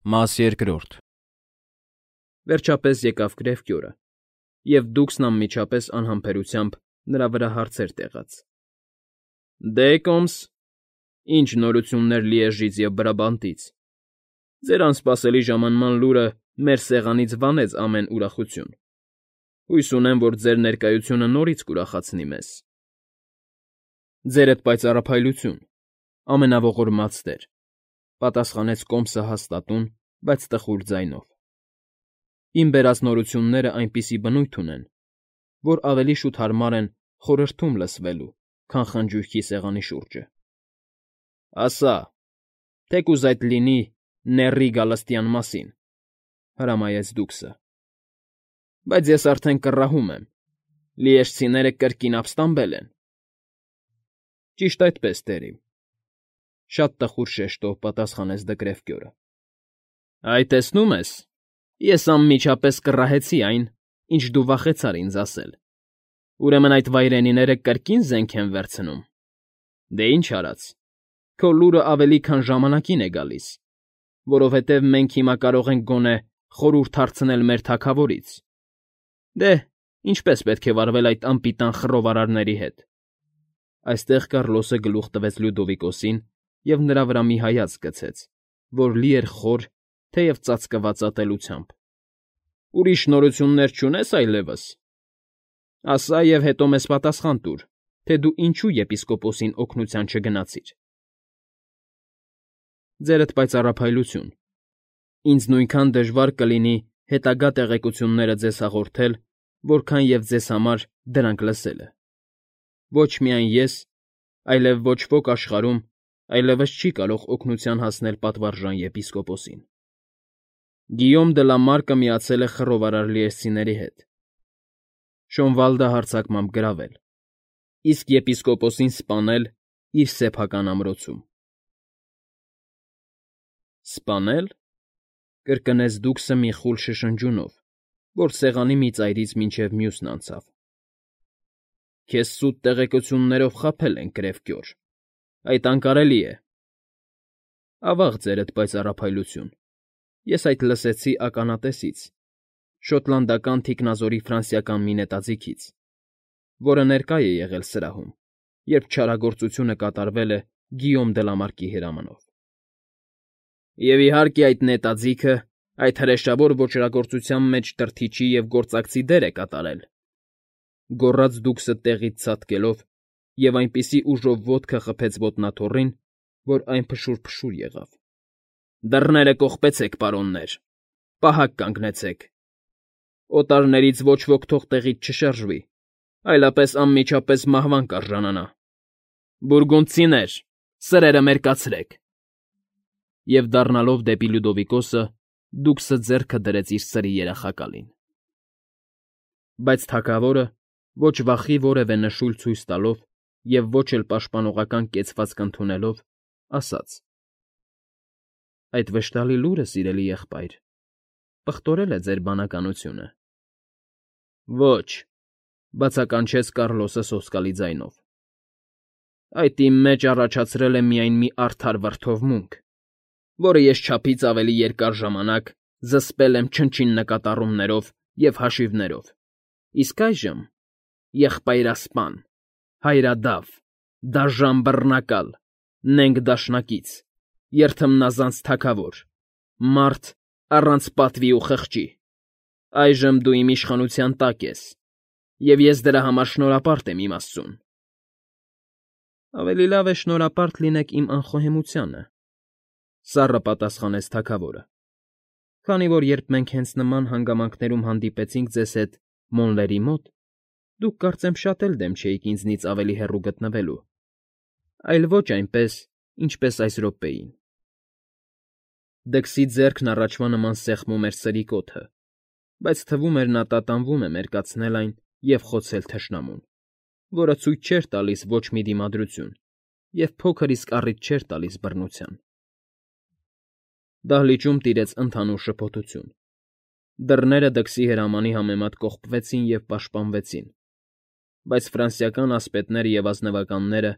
Մաս երկրորդ Վերջապես եկավ գրեվկի օրը, և Դուքսն անմիջապես անհամբերությամբ նրա վրա հարցեր տեղաց. Դե, Կոմս, ի՞նչ նորություններ Լիեժից և Բրաբանտից. ձեր անսպասելի ժամանման լուրը մեր սեղանից վանեց ամեն ուրախություն. հույս ունեմ, որ ձեր ներկայությունը նորից կուրախացնի մեզ։ Ձերդ պայծառափայլություն, ամենաողորմած տեր, պատասխանեց Կոմսը հաստատուն, բայց տխուր ձայնով։ Իմ բերած նորություններն այնպիսի բնույթ ունեն, որ ավելի շուտ հարմար են խորհրդում լսվելու, քան խնջույքի սեղանի շուրջը։ Ասա, թեկուզ այդ լինի նեռի գալստյան մասին, հրամայեց Դուքսը։ Բայց ես արդեն կռահում եմ, լիեժցիները կրկին ապստամբել են։ Ճիշտ այդպես, տերիմ, շատ տխուր շեշտով պատասխանեց Դկրևկյորը։ Այ տեսնում ես, ես անմիջապես կռահեցի այն, ինչ դու վախեցար ինձ ասել։ Ուրեմն այդ վայրենիները կրկին զենք են վերցնում։ Դե ինչ արած, քո լուրը ավելի քան ժամանակին է գալիս, որովհետև մենք հիմա կարող ենք գոնե խորհուրդ հարցնել մեր թագավորից։ Դե, ինչպես պետք է վարվել այդ անպիտան խռովարարների հետ։ Այստեղ Կառլոսը գլուխ տվեց Լյուդովիկոսին և նրա վրա մի հայացք գցեց, որ լի էր խոր, թեև ծածկված ատելությամբ։ Ուրիշ նորություններ չունե՞ս այլևս։ Ասա և հետո մեզ պատասխան տուր, թե դու ինչու եպիսկոպոսին օգնության չգնացիր։ Ձերդ պայծառափայլություն, ինձ նույնքան դժվար կլինի հետագա տեղեկությունները ձեզ հաղորդել, որքան և ձեզ համար դրանք լսելը։ Ոչ միայն ես, այլև ոչ ոք աշխարհում այլևս չի կարող օգնության հասնել պատվարժան եպիսկոպոսին։ Գիյոմ դը Լա Մարկը միացել է խռովարար լիեժցիների հետ։ Շոնվալդը հարձակմամբ գրավել, իսկ եպիսկոպոսին սպանել իր սեփական ամրոցում։ Սպանել,֊ կրկնեց Դուքսը մի խուլ շշնջյունով, որ սեղանի մի ծայրից մինչև մյուսն անցավ։ Քեզ սուտ տեղեկություններով խաբել են, Կրևկյոր, այդ անկարելի է։ Ավաղ ձերդ պայծառափայլություն, ես այդ լսեցի ականատեսից, շոտլանդական թիկնազորի ֆրանսիական մի նետաձիգից, որը ներկա է եղել սրահում, երբ չարագործությունը կատարվել է Գիյոմ դը Լա Մարկի հրամանով։ Եվ իհարկե այդ նետաձիգը այդ հրեշավոր ոճրագործության մեջ դրդիչի և գործակցի դեր է կատարել, գոռաց Դուքսը տեղից ցատկելով և այնպիսի ուժով ոտքը խփեց ոտնաթոռին, որ այն փշուր եղավ։ Դռները կողպեցեք, պարոններ, պահակ կանգնեցեք։ Օտարներից ոչ ոք թող տեղից չշարժվի, այլապես անմիջապես մահվան կարժանանա։ Բուրգունդցիներ, սրերը մերկացրեք։ Եվ դառնալով դեպի Լյուդովիկոսը, Դուքսը ձեռքը դրեց իր սրի երախակալին։ Բայց թագավորը, ոչ վախի որևէ նշույլ ցույց տալով և ոչ էլ պաշտպանողական կեցվածք ընդունելով, ասաց. Այդ վշտալի լուրը, սիրելի եղբայր, պղտորել է ձեր բանականությունը։ Ոչ,֊ բացականչեց Կառլոսը սոսկալի ձայնով։ Այդ իմ մեջ առաջացրել է միայն մի արդար վրդովմունք, որը ես չափից ավելի երկար ժամանակ զսպել եմ չնչին նկատառումներով և հաշիվներով, իսկ այժմ, եղբայրասպան, հայրադավ, դաժան բռնակալ, նենգ դաշնակից, երթմնազանց թագավոր, մարդ առանց պատվի ու խղճի, այժմ դու իմ իշխանության տակ ես, և ես դրա համար շնորհապարտ եմ իմ Աստծուն։ Ավելի լավ է շնորհապարտ լինեք իմ անխոհեմությանը,֊ սառը պատասխանեց թագավորը, քանի որ երբ մենք հենց նման հանգամանքներում հանդիպեցինք ձեզ հետ Մոնլերի մոտ, դուք կարծեմ շատ էլ դեմ չէիք ինձնից ավելի հեռու գտնվելու, այլ ոչ այնպես, ինչպես այս րոպեին։ Դքսի ձեռքն առաջվա նման սեղմում էր սրի կոթը, բայց թվում էր նա տատանվում է մերկացնել այն և խոցել թշնամուն, որը ցույց չէր տալիս ոչ մի դիմադրություն և փոքր իսկ առիթ չէր տալիս բռնության։ Դահլիճում տիրեց ընդհանուր շփոթություն։ Դռները դքսի հրամանի համեմատ կողպվեցին և պաշտպանվեցին, բայց ֆրանսիական ասպետները և ազնվականները,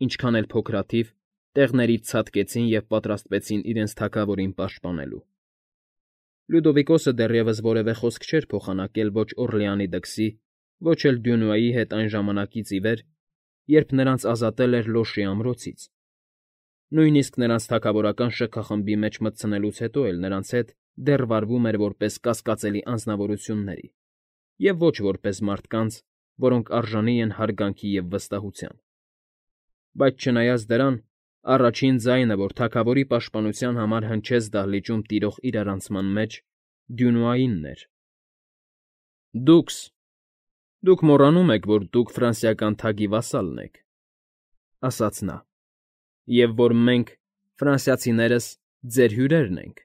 ինչքան էլ փոքրաթիվ, տեղներից ցատկեցին և պատրաստվեցին իրենց թագավորին պաշտպանելու։ Լյուդովիկոսը դեռևս որևէ խոսք չէր փոխանակել ոչ Օռլեանի դքսի, ոչ էլ Դյունուայի հետ այն ժամանակից ի վեր, երբ նրանց ազատել էր Լոշի ամրոցից. նույնիսկ նրանց թագավորական շքախմբի մեջ մտցնելուց հետո էլ նրանց հետ դեռ վարվում էր որպես կասկածելի անձնավորությունների, և ոչ որպես մարդկանց, որոնք արժանի են հարգանքի և վստահության։ Բայց չնայած դրան, առաջին ձայնը, որ թագավորի պաշտպանության համար հնչեց դահլիճում տիրող իրարանցման մեջ, Դյունուայինն էր։ Դուք մոռանում եք, որ դուք ֆրանսիական թագի վասալն եք, ասաց նա, և որ մենք, ֆրանսիացիներս, ձեր հյուրերն ենք։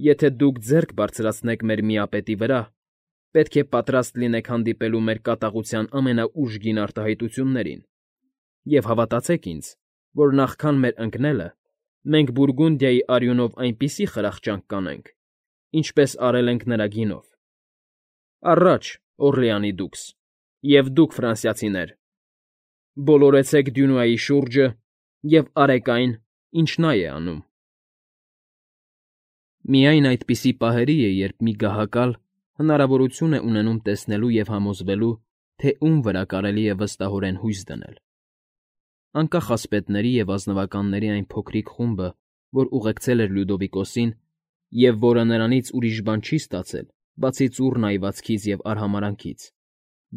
Եթե դուք ձեռք բարձրացնեք մեր միապետի վրա, պետք է պատրաստ լինեք հանդիպելու մեր կատաղության ամենաուժգին արտահայտություններին, և հավատացեք ինձ, որ նախքան մեր ընկնելը մենք Բուրգունդիայի արյունով այնպիսի խրախճանք կանենք, ինչպես արել ենք նրա գինով։ Առաջ, Օռլեանի դուքս, և դուք, ֆրանսիացիներ, բոլորեցեք Դյունուայի շուրջը և արեք այն, ինչ նա է անում։ Միայն այդպիսի պահերի է, երբ մի գահակալ հնարավորություն է ունենում տեսնելու և համոզվելու, թե ում վրա կարելի է վստահորեն հույս դնել։ Անկախ ասպետների և ազնվականների այն փոքրիկ խումբը, որ ուղեկցել էր Լյուդովիկոսին, և որը նրանից ուրիշ բան չի ստացել, բացի ծուռ նայվածքից և արհամարհանքից,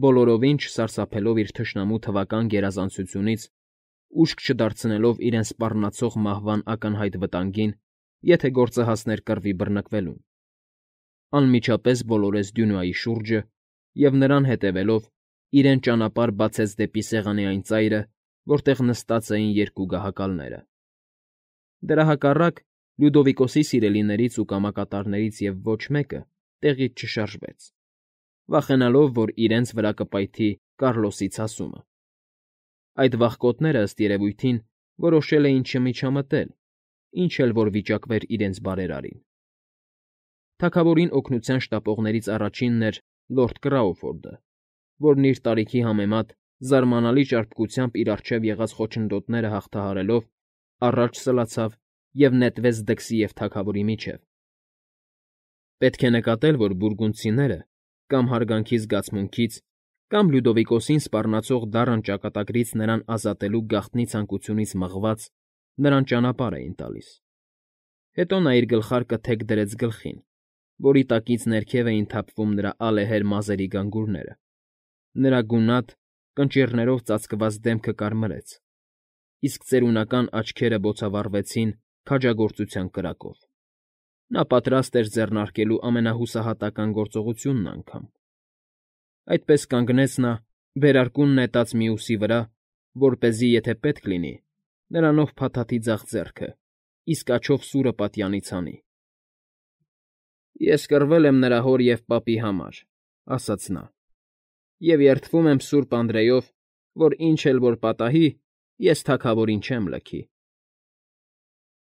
բոլորովին չսարսափելով իր թշնամու թվական գերազանցությունից, ուշք չդարձնելով իրեն սպառնացող մահվան ակնհայտ վտանգին, եթե գործը հասներ կռվի բռնկվելուն, անմիջապես բոլորեց Դյունուայի շուրջը և նրան հետևելով իրեն ճանապարհ բացեց դեպի սեղանի այն ծայրը, որտեղ նստած էին երկու գահակալները։ Դրա հակառակ, Լյուդովիկոսի սիրելիներից ու կամակատարներից և ոչ մեկը տեղից չշարժվեց, վախենալով, որ իրենց վրա կպայթի Կարլոսի ցասումը։ Այդ վախկոտները, ըստ երևույթին, որոշել էին չմիջամտել, ինչ էլ որ վիճակվեր իրենց բարերարին։ Թագավորին օգնության շտապողներից առաջինն էր լորդ Կրաուֆորդը, որն իր տարիքի համեմատ զարմանալի ճարպկությամբ իր առջև եղած խոչընդոտները հաղթահարելով առաջ սլացավ և նետվեց դքսի և թագավորի միջև։ Պետք է նկատել, որ բուրգունդցիները կամ հարգանքի զգացմունքից, կամ Լյուդովիկոսին սպառնացող դառն ճակատագրից նրան ազատելու գաղտնի ցանկությունից մղված, նրան ճանապարհ էին տալիս։ Հետո նա իր գլխարկը թեք դրեց գլխին, որի տակից ներքև էին թափվում նրա ալեհեր մազերի գանգուրները, նրա գունատ, կնճիռներով ծածկված դեմքը կարմրեց, իսկ ծերունական աչքերը բոցավառվեցին քաջագործության կրակով։ Նա պատրաստ էր ձեռնարկելու ամենահուսահատական գործողությունն անգամ։ Այդպես կանգնեց նա, վերարկուն նետած մյուսի վրա, որպեսզի, եթե պետք լինի, նրանով փաթաթի ձախ ձեռքը, իսկ աջով սուրը պատյանից հանի։ «Ես կռվել եմ նրա հոր և պապի համար,֊ ասաց նա,֊ և երդվում եմ Սուրբ Անդրեյով, որ ինչ էլ որ պատահի, ես թագավորին չեմ լքի»։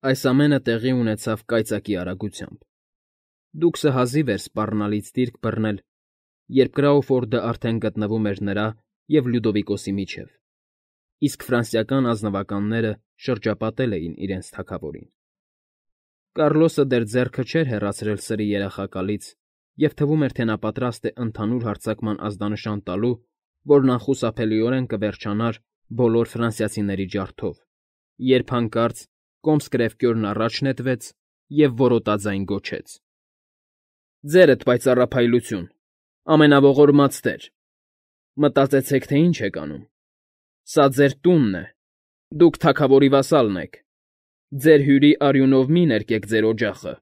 Այս ամենը տեղի ունեցավ կայծակի արագությամբ։ Դուքսը հազիվ էր սպառնալից դիրք բռնել, երբ Կրաուֆորդը արդեն գտնվում էր նրա և Լյուդովիկոսի միջև, իսկ ֆրանսիական ազնվականները շրջապատել էին իրենց թագավորին։ Կարլոսը դեռ ձեռքը չէր հեռացրել սրի երախակալից, և թվում էր, թե նա պատրաստ է ընդհանուր հարձակման ազդանշան տալու, որն անխուսափելիորեն կվերջանար բոլոր ֆրանսիացիների ջարդով, երբ հանկարծ կոմս կրևկյորն առաջ նետվեց և որոտաձայն գոչեց. «Ձերդ պայծառափայլություն, ամենաողորմած տեր, մտածեցեք, թե ինչ եք անում։ Սա ձեր տունն է, դուք թագավորի վասալն եք, ձեր հյուրի արյունով մի ներկեք ձեր օջախը,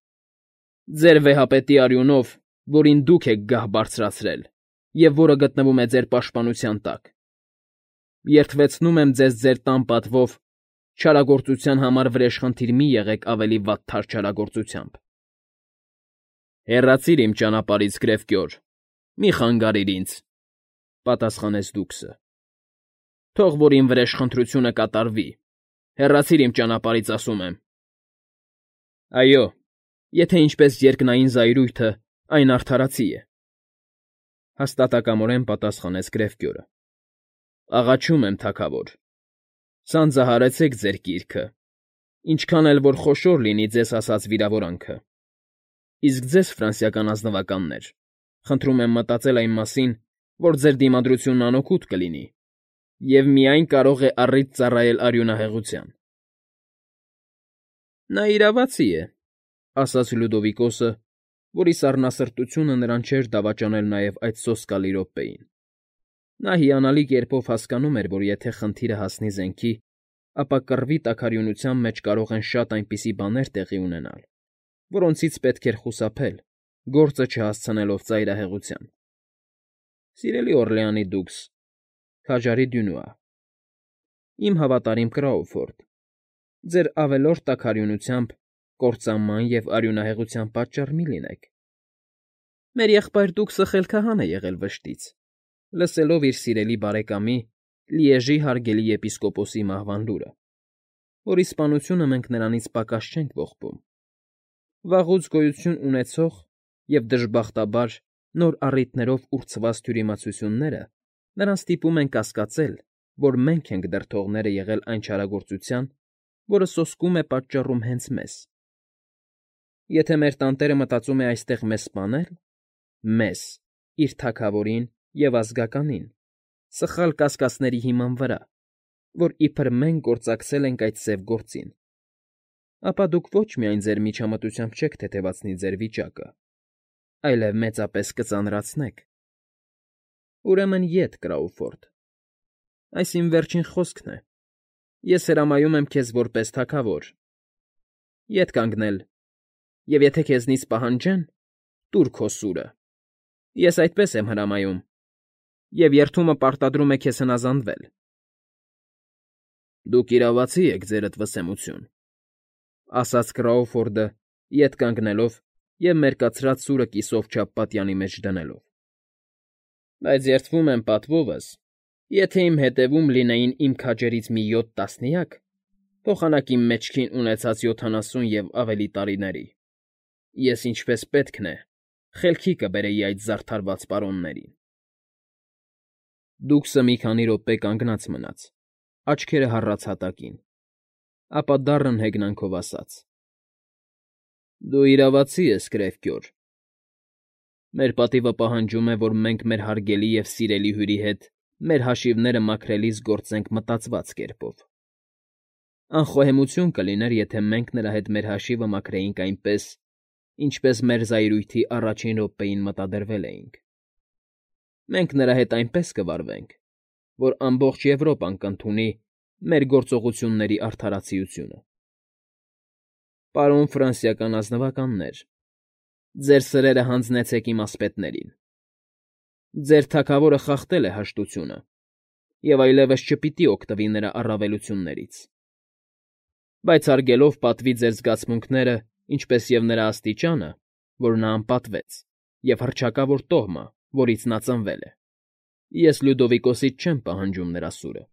ձեր վեհապետի արյունով, որին դուք եք գահ բարձրացրել և որը գտնվում է ձեր պաշտպանության տակ։ Երդվեցնում եմ ձեզ ձեր տան պատվով, չարագործության համար վրեժխնդիր մի եղեք ավելի վատթար չարագործությամբ»։ «Հեռացիր իմ ճանապարհից, Կրևկյոր, մի խանգարիր ինձ,֊ պատասխանեց դուքսը։ «Թող որ իմ վրեժխնդրությունը կատարվի, հեռացիր իմ ճանապարհից, ասում եմ»։ «Այո, եթե ինչպես երկնային զայրույթը, այն արդարացի է,֊ հաստատակամորեն պատասխանեց Կրևկյորը։ «Աղաչում եմ, թագավոր, սանձահարեցեք ձեր կիրքը, ինչքան էլ որ խոշոր լինի ձեզ հասած վիրավորանքը։ Իսկ ձեզ, ֆրանսիական ազնվականներ, խնդրում եմ մտածել այն մասին, որ ձեր դիմադրությունն անօգուտ կլինի և միայն կարող է առիթ ծառայել արյունահեղության։ ֊ Նա իրավացի է,֊ ասաց Լյուդովիկոսը, որի սառնասրտությունը նրան չէր դավաճանել նաև այդ սոսկալի րոպեին. նա հիանալի կերպով հասկանում էր, որ եթե խնդիրը հասնի զենքի, ապա կռվի տաքարյունության մեջ կարող են շատ այնպիսի բաներ տեղի ունենալ, որոնցից պետք էր խուսափել, գործը չհասցնելով ծայրահեղության։ Սիրելի Օռլեանի դուքս, քաջարի Դյունուա, իմ հավատարիմ Կրաուֆորդ, ձեր ավելորդ տաքարյունությամբ կործանման և արյունահեղության պատճառ մի լինեք։ Մեր եղբայր դուքսը խելքահան է եղել վշտից, լսելով իր սիրելի բարեկամի՝ Լիեժի հարգելի եպիսկոպոսի մահվան լուրը, որի սպանությունը մենք նրանից պակաս չենք ողբում։ Վաղուց գոյություն ունեցող և, դժբախտաբար, նոր առիթներով ուրցված թյուրիմացությունները նրան ստիպում են կասկածել, որ մենք ենք դրդողները եղել այն չարագործության, որը սոսկում է պատճառում հենց մեզ։ Եթե մեր տանտերը մտածում է այստեղ մեզ սպանել, մեզ, իր թագավորին և ազգականին, սխալ կասկածների հիման վրա, որ իբր մենք գործակցել ենք այդ սև գործին, ապա դուք ոչ միայն ձեր միջամտությամբ չեք թեթևացնի ձեր վիճակը, այլև մեծապես կծանրացնեք։ Ուրեմն ետ, Կրաուֆորդ, այս իմ վերջին խոսքն է, ես հրամայում եմ քեզ որպես թագավոր։ Ետ կանգնել, և եթե քեզնից պահանջեն, տուր քո սուրը։ Ես այդպես եմ հրամայում, և երդումը պարտադրում է քեզ հնազանդվել։ ֊ Դուք իրավացի եք, ձերդ վսեմություն,֊ ասաց Կրաուֆորդը, ետ կանգնելով և մերկացրած սուրը կիսով չափ պատյանի մեջ դնելով։ ֊ Բայց երդվում եմ պատվովս, եթե իմ հետևում լինեին իմ քաջերից մի 7 տասնյակ, փոխանակ իմ մեջքին ունեցած 70 և ավելի տարիների, ես ինչպես պետքն է խելքի կբերեի այդ զարդարված պարոններին։ Դուքսը մի քանի րոպե կանգնած մնաց, աչքերը հառած հատակին, ապա դառն հեգնանքով ասաց. ֊ Դու իրավացի ես, կրևկյոր։ Մեր պատիվը պահանջում է, որ մենք մեր հարգելի և սիրելի հյուրի հետ մեր հաշիվները մաքրելիս գործենք մտածված կերպով։ Անխոհեմություն կլիներ, եթե մենք նրա հետ մեր հաշիվը մաքրեինք այնպես, ինչպես մեր զայրույթի առաջին րոպեին մտադրվել էինք։ Մենք նրա հետ այնպես կվարվենք, որ ամբողջ Եվրոպան կընդունի մեր գործողությունների արդարացիությունը։ Պարոն ֆրանսիական ազնվականներ, ձեր սրերը հանձնեցեք իմ ասպետներին։ Ձեր թագավորը խախտել է հաշտությունը և այլևս չպիտի օգտվի նրա առավելություններից։ Բայց հարգելով պատվի ձեր զգացմունքները, ինչպես և նրա աստիճանը, որ նա անպատվեց, և հռչակավոր տոհմը, որից նա ծնվել է, ես Լյուդովիկոսից չեմ պահանջում նրա սուրը։ ֊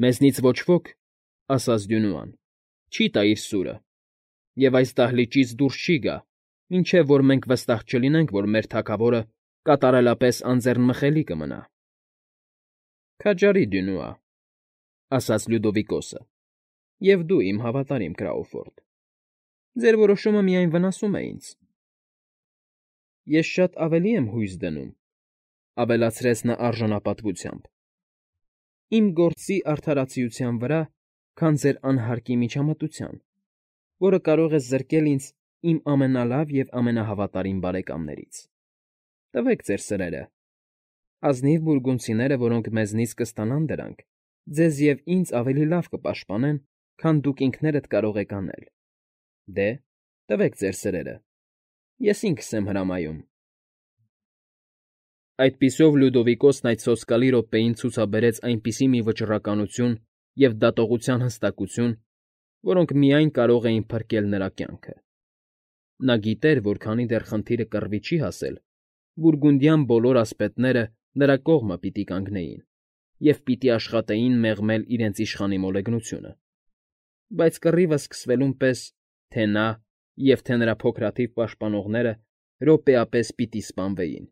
Մեզնից ոչ ոք,֊ ասաց Դյունուան,֊ չի տա իր սուրը և այս դահլիճից դուրս չի գա, մինչև որ մենք վստահ չլինենք, որ մեր թագավորը կատարելապես անձեռնմխելի կմնա։ ֊ Քաջարի Դյունուա,֊ ասաց Լյուդովիկոսը,֊ և դու, իմ հավատարիմ Կրաուֆորդ, ձեր որոշումը միայն վնասում է ինձ։ ֊ Ես շատ ավելի եմ հույս դնում,֊ ավելացրեց նա արժանապատվությամբ,֊ իմ գործի արդարացիության վրա, քան ձեր անհարկի միջամտության, որը կարող է զրկել ինձ իմ ամենալավ և ամենահավատարիմ բարեկամներից։ Տվեք ձեր սրերը. ազնիվ բուրգունդցիները, որոնք մեզնից կստանան դրանք, ձեզ և ինձ ավելի լավ կպաշտպանեն, քան դուք ինքներդ կարող եք անել։ Դե, տվեք ձեր սրերը, ես ինքս եմ հրամայում։ Այդպիսով Լյուդովիկոսն այդ սոսկալի րոպեին ցուցաբերեց այնպիսի մի վճռականություն և դատողության հստակություն, որոնք միայն կարող էին փրկել նրա կյանքը։ Նա գիտեր, որ քանի դեռ խնդիրը կռվի չի հասել, բուրգունդյան բոլոր ասպետները նրա կողմը պիտի կանգնեին և պիտի աշխատեին մեղմել իրենց իշխանի մոլեգնությունը, բայց կռիվը սկսվելուն պես թե նա և թե նրա փոքրաթիվ պաշտպանողները րոպեապես պիտի սպանվեին։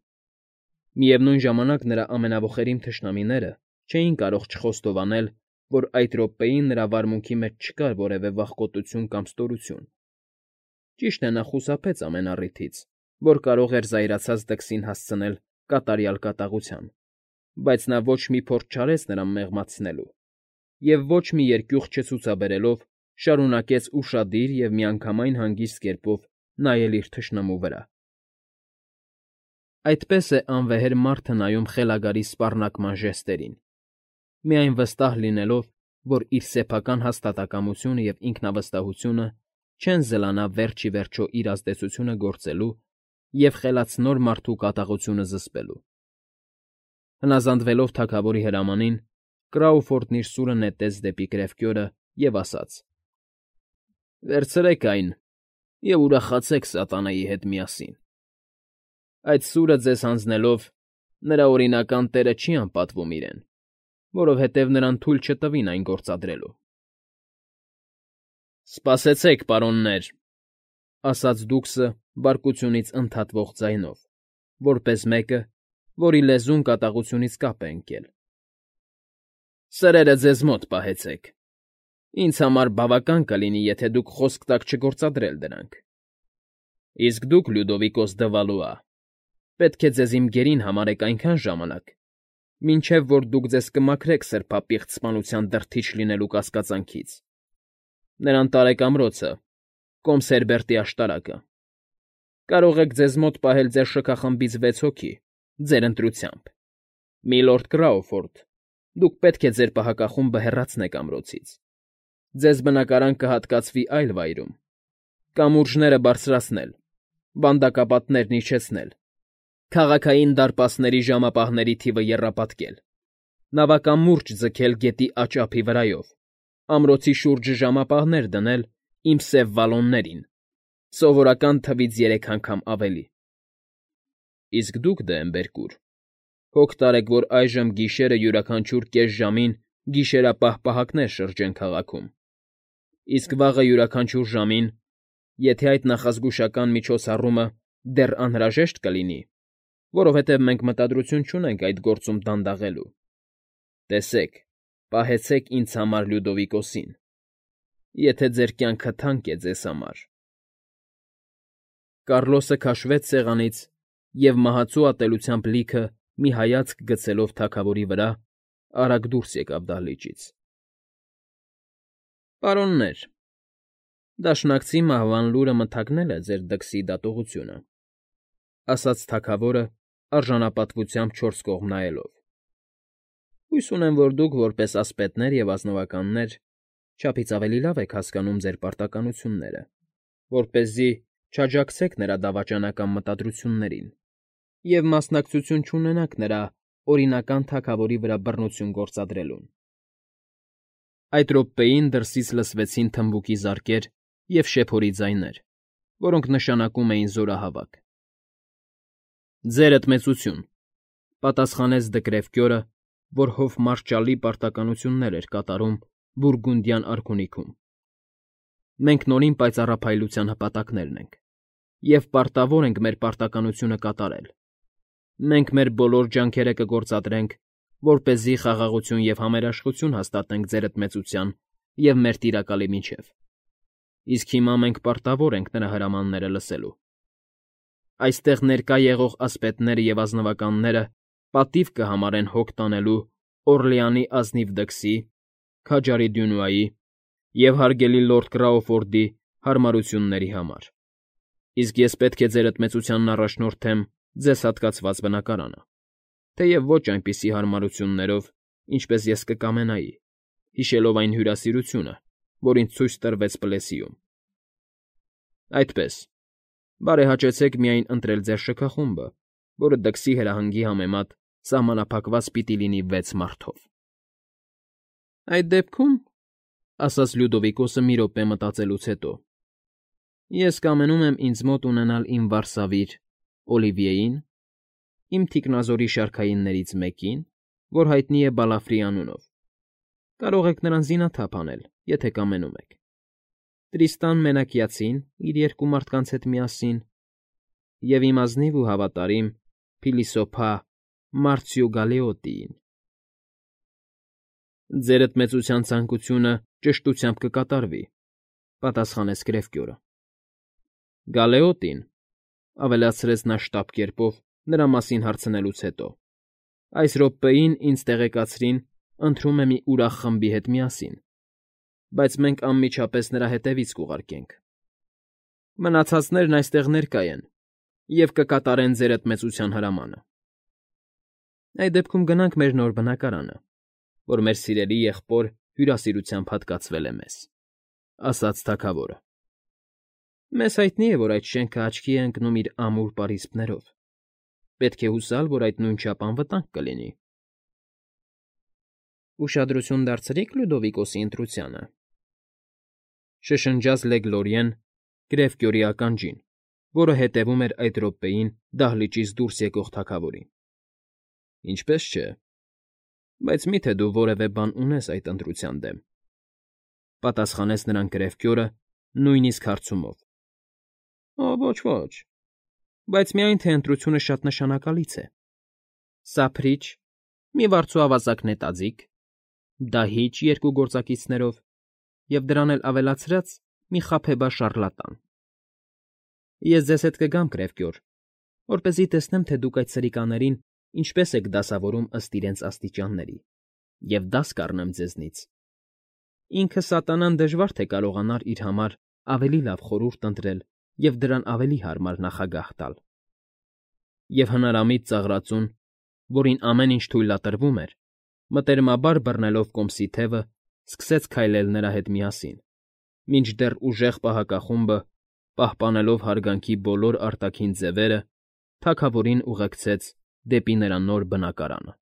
Միևնույն ժամանակ նրա ամենաոխերիմ թշնամիները չէին կարող չխոստովանել, որ այդ րոպեին նրա վարմունքի մեջ չկար որևէ վախկոտություն կամ ստորություն, Ճիշտ է, նա խուսափեց ամեն առիթից, որ կարող էր զայրացած դքսին հասցնել կատարյալ կատաղության, բայց նա ոչ մի փորձ չարեց նրան մեղմացնելու և ոչ մի երկյուղ չցուցաբերելով շարունակեց ուշադիր և միանգամայն հանգիստ կերպով նայել իր թշնամու վրա։ Այդպես է անվեհեր մարդը նայում խելագարի սպառնակման ժեստերին, միայն վստահ լինելով, որ իր սեփական հաստատակամությունը և ինքնավստահությունը չեն զլանա վերջ ի վերջո իր ազդեցությունը գործելու և խելացնոր մարդու կատաղությունը զսպելու։ Հնազանդվելով թագավորի հրամանին, Կրաուֆորդն իր սուրը նետեց դեպի գրեվկյորը և ասաց. «Վերցրեք այն և ուրախացեք սատանայի հետ միասին։ Այդ սուրը ձեզ հանձնելով՝ նրա օրինական տերը չի անպատվում իրեն, որովհետև նրան թույլ չտվին այն գործադրելու»։ «Սպասեցեք, պարոններ», ֊ ասաց դուքսը բարկությունից ընդհատվող ձայնով, որպես մեկը, որի լեզուն կատաղությունից կապ է ընկել։ «Սրերը ձեզ մոտ պահեցեք։ Ինձ համար բավական կլինի, եթե դուք խոսք տաք չգործադրել դրանք։ Իսկ դուք, Լյուդովիկոս դը Վալուա, պետք է ձեզ իմ գերին համարեք այնքան ժամանակ, մինչև որ դուք ձեզ կմաքրեք սրբապիղծ սպանության դրդիչ լինելու կասկածանքից։ Նրան տարեք ամրոցը, կոմս Հերբերտի աշտարակը։ Կարող եք ձեզ մոտ պահել ձեր շքախմբից 6 հոգի, ձեր ընտրությամբ։ Միլորդ Կրաուֆորդ, դուք պետք է ձեր պահակախումբը հեռացնեք ամրոցից։ Ձեզ բնակարան կհատկացվի այլ վայրում։ Կամուրջները բարձրացնել, վանդակապատներն իջեցնել, քաղաքային դարպասների ժամապահների թիվը եռապատկել, նավակամուրջ ձգել գետի աջ ափի վրայով, ամրոցի շուրջը ժամապահներ դնել իմ սև վալոններին, սովորական թվից 3 անգամ ավելի։ Իսկ դուք, Դեմբերկուր, հոգ տարեք, որ այժմ գիշերը յուրաքանչյուր կես ժամին գիշերապահ պահակներ շրջեն քաղաքում, իսկ վաղը յուրաքանչյուր ժամին, եթե այդ նախազգուշական միջոցառումը դեռ անհրաժեշտ կլինի, որովհետև մենք մտադրություն չունենք այդ գործում դանդաղելու, տեսեք, պահեցեք ինձ համար Լյուդովիկոսին, եթե ձեր կյանքը թանկ է ձեզ համար»։ Կառլոսը քաշվեց սեղանից և մահացու ատելությամբ լիքը մի հայացք գցելով թագավորի վրա, արագ դուրս եկավ դահլիճից։ «Պարոններ, դաշնակցի մահվան լուրը մթագնել է ձեր դքսի դատողությունը», ֊ ասաց թագավորը արժանապատվությամբ չորս կողմ նայելով։ «Հույս ունեմ, որ դուք, որպես ասպետներ և ազնվականներ, չափից ավելի լավ եք հասկանում ձեր պարտականությունները, որպեսզի չաջակցեք նրա դավաճանական մտադրություններին և մասնակցություն չունենաք նրա օրինական թագավորի վրա բռնություն գործադրելուն»։ Այդ րոպեին դրսից լսվեցին թմբուկի զարկեր և շեփորի ձայներ, որոնք նշանակում էին զորահավաք։ «Ձերդ մեծություն», ֊ պատասխանեց Դը Գրևկյորը, որ հովմարշալի պարտականություններ էր կատարում Բուրգունդյան արքունիքում։ «Մենք նորին պայծառափայլության հպատակներն ենք և պարտավոր ենք մեր պարտականությունը կատարել։ Մենք մեր բոլոր ջանքերը կգործադրենք, որպեսզի խաղաղություն և համերաշխություն հաստատենք ձերդ մեծության և մեր տիրակալի միջև, իսկ հիմա մենք պարտավոր ենք նրա հրամանները լսելու։ Այստեղ ներկա եղող ասպետները և ազնվականները պատիվ կհամարեն հոգ տանելու Օռլեանի ազնիվ դքսի, քաջարի Դյունուայի և հարգելի լորդ Կրաուֆորդի հարմարությունների համար, իսկ ես պետք է ձերդ մեծությանն առաջնորդեմ ձեզ հատկացված բնակարանը, թեև ոչ այնպիսի հարմարություններով, ինչպես ես կկամենայի, հիշելով այն հյուրասիրությունը, որ ինձ ցույց տրվեց Պլեսիում։ Այդպես, բարեհաճեցեք միայն ընտրել ձեր շքախումբը, որը դքսի հրահանգի համեմատ սահմանափակված պիտի լինի 6 մարդով»։ «Այդ դեպքում, ֊ ասաց Լյուդովիկոսը մի րոպե մտածելուց հետո, ֊ ես կամենում եմ ինձ մոտ ունենալ իմ վարսավիր Օլիվիեին, իմ թիկնազորի շարքայիններից մեկին, որ հայտնի է Բալաֆրի անունով. կարող եք նրան զինաթափ անել, եթե կամենում եք, Տրիստան Մենակյացին իր 2 մարդկանց հետ միասին և իմ ազնիվ ու հավատարիմ փիլիսոփա Մարցիո Գալեոտիին»։ «Ձերդ մեծության ցանկությունը ճշտությամբ կկատարվի», ֊ պատասխանեց գրևկյորը։ Գալեոտին, ավելացրեց նա շտապ կերպով նրա մասին հարցնելուց հետո, այս րոպեին ինձ տեղեկացրին, ընթրում է մի ուրախ խմբի հետ միասին, բայց մենք անմիջապես նրա հետևից կուղարկենք։ Մնացածներն այստեղ ներկա են և կկատարեն ձեր էդմեցության հրամանը։ Այդ դեպքում գնանք մեր նոր բնակարանը, որ մեր սիրելի եղբոր հյուրասիրությամբ հատկացվել է մեզ, ասաց թագավորը։ Մեզ հայտնի է, որ այդ շենքը աչքի է ընկնում իր ամուր պարիսպներով։ Պետք է հուսալ, որ այդ նույնչափ անվտանգ կլինի։ Ուշադրություն դարձրի՞ք Լյուդովիկոսի ընտրությանը, շշնջաց Լեգլորիեն Գրեֆկյորի ականջին, որը հետևում էր այդ րոպեին դահլիճից դուրս եկող թագավորին։ Ինչպես չէ, բայց մի՞թե դու որևէ բան ունես այդ ընտրության դեմ, պատասխանեց նրան Գրեֆկյորը նույնիսկ հարցումով։ Ոչ, բայց միայն թե ընտրությունը շատ նշանակալից է։ Սափրիչ, մի վարձու ավազակ նետաձիգ, դահիճ երկու գործակիցներով և դրան էլ ավելացրած մի խաբեբա շառլատան։ Ես ձեզ հետ կգամ, Գրեֆկյոր, որպեսզի տեսնեմ, թե դուք այդ սրիկաներին ինչպես եք դասավորում ըստ իրենց աստիճանների, և դաս կառնեմ ձեզնից։ Ինքը սատանան դժվար թե կարողանար իր համար ավելի լավ խորհուրդ ընտրել և դրան ավելի հարմար նախագահ տալ։ Եվ հնարամիտ ծաղրածուն, որին ամեն ինչ թույլատրվում էր, մտերմաբար բռնելով կոմսի թևը, սկսեց քայլել նրա հետ միասին, մինչդեռ ուժեղ պահակախումբը, պահպանելով հարգանքի բոլոր արտաքին ձևերը, թագավորին ուղեկցեց դեպի նրա նոր բնակարանը։